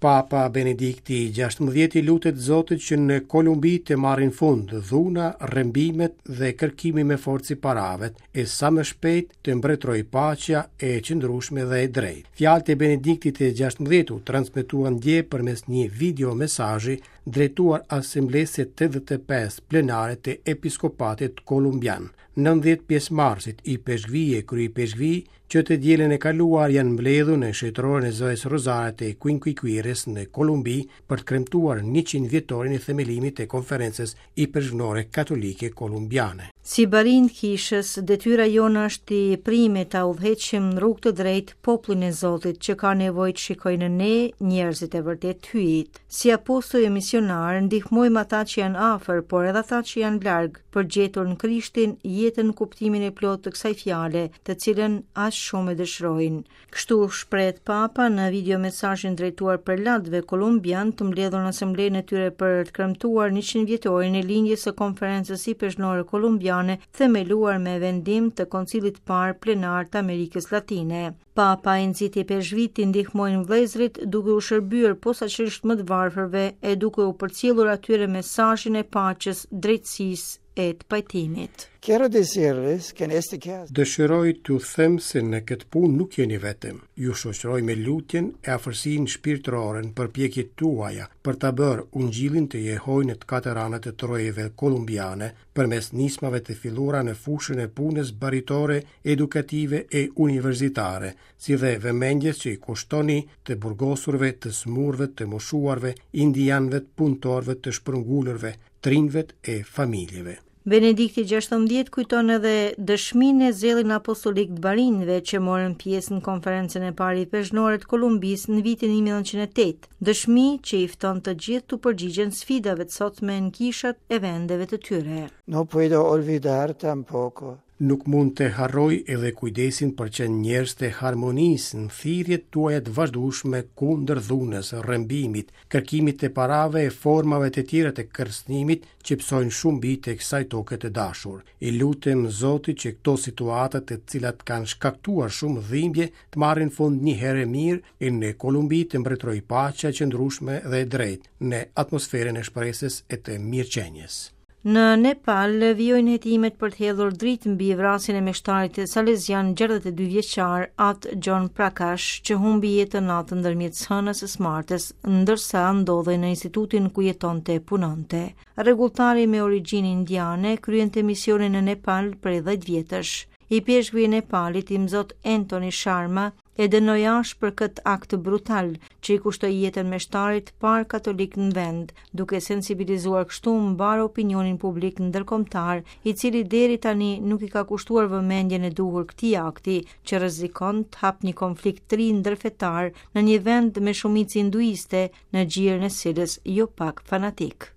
Papa Benedikti i 16 i lutet Zotit që në Kolumbi të marrin fund dhuna, rrëmbimet dhe kërkimi me forcë i parave, e sa më shpejt të mbretërojë paqja e qëndrueshme dhe e drejtë. Fjalët e Benediktit të 16 u transmetuan dje përmes një video mesazhi drejtuar Asamblesë së 85 plenare të Episkopatit Kolumbian. 90 pjesëmarrësit, ipeshkvij e kryeipeshkvij, që të dielën e kaluar janë mbledhur në shëtororen e Zojës Rozare të Chiquinquirës në Kolumbi për të kremtuar 100 vjetorin e themelimit të Konferencës Ipeshkvnore Katolike Kolumbiane. Si barinj të kishës, detyra jonë është e prime ta udhëheqim në rrugë të drejtë popullin e Zotit që ka nevojë të shikojë në ne njerëzit e vërtetë të Hyjit. Si apostuj e misionarë, ndihmojmë ata që janë afër, por edhe ata që janë larg, për të gjetur në Krishtin jetën në kuptimin e plotë të kësaj fjale, të cilën aq shumë e dëshirojnë. Kështu shprehet Papa në video mesazhin drejtuar prelatëve kolumbianë të mbledhur në asamblenë e tyre për të kremtuar 100 vjetorin e lindjes së Konferencës Ipeshkvnore Kolumbiane, themeluar me vendim të Koncilit të Parë Plenar të Amerikës Latine. Papa i nxiti ipeshkvijtë t'i ndihmojnë vëllezërit duke u shërbyer posaçërisht më të varfërve e duke u përcjellur atyre mesazhin e paqes, drejtësisë e të pajtimit. Quiero decirles que en este caso Dëshiroj t'ju them se në këtë punë nuk jeni vetëm. Ju shoqëroj me lutjen e afërsinë shpirtërore në përpjekjet tuaja për ta bërë Ungjillin të jehojë në të katër anët e trojeve kolumbiane, përmes nismave të filluara në fushën e punës baritore, edukative e universitare, si dhe vëmendjes që i kushtoni të burgosurve, të sëmurëve, të moshuarve, indianëve, punëtorëve, të shpërngulurve, të rinjve e familjeve. Benedikti 16 kujton edhe dëshminë e zellin apostolik të barinjve që morën pjesë në konferencën e parë ipeshkvnore të Kolumbisë në vitin 1908, dëshmi që i fton të gjithë t'u përgjigjen sfidave të sotme në kishat e vendeve të tyre. No puedo olvidar tampoco Nuk mund të harroj edhe kujdesin për qenë njerëz të harmonisë në thirrjet tuaja të vazhdueshme kundër dhunës, rrëmbimit, kërkimit të parave e formave të tjera të kërcënimit që pësojnë shumë bij të kësaj toke të dashur. I lutem Zotit që këto situata të cilat kanë shkaktuar shumë dhimbje të marrin fund një herë e mirë e në Kolumbi të mbretërojë paqja e qëndrueshme dhe e drejtë në atmosferën e shpresës e të mirëqenies. Në Nepal vijojnë hetimet për të hedhur dritë mbi vrasjen e meshtarit salezian 62 vjeçar At John Prakash, që humbi jetën natën ndërmjet së hënës e së martës, ndërsa ndodhej në institutin ku jetonte e punonte. Rregulltari me origjinë indiane kryente misionin në Nepal prej 10 vjetësh. Ipeshkvi i Nepalit, Imzot Anthony Sharma, e dënoi ashpër këtë akt brutal që i kushtoi jetën meshtarit të parë katolik në vend, duke sensibilizuar kështu mbarë opinionin publik ndërkombëtar, i cili deri tani nuk i ka kushtuar vëmendjen e duhur këtij akti, që rrezikon të hapë një konflikt të ri ndërfetar në një vend me shumicë hinduiste, në gjirin e së cilës jo pak fanatikë.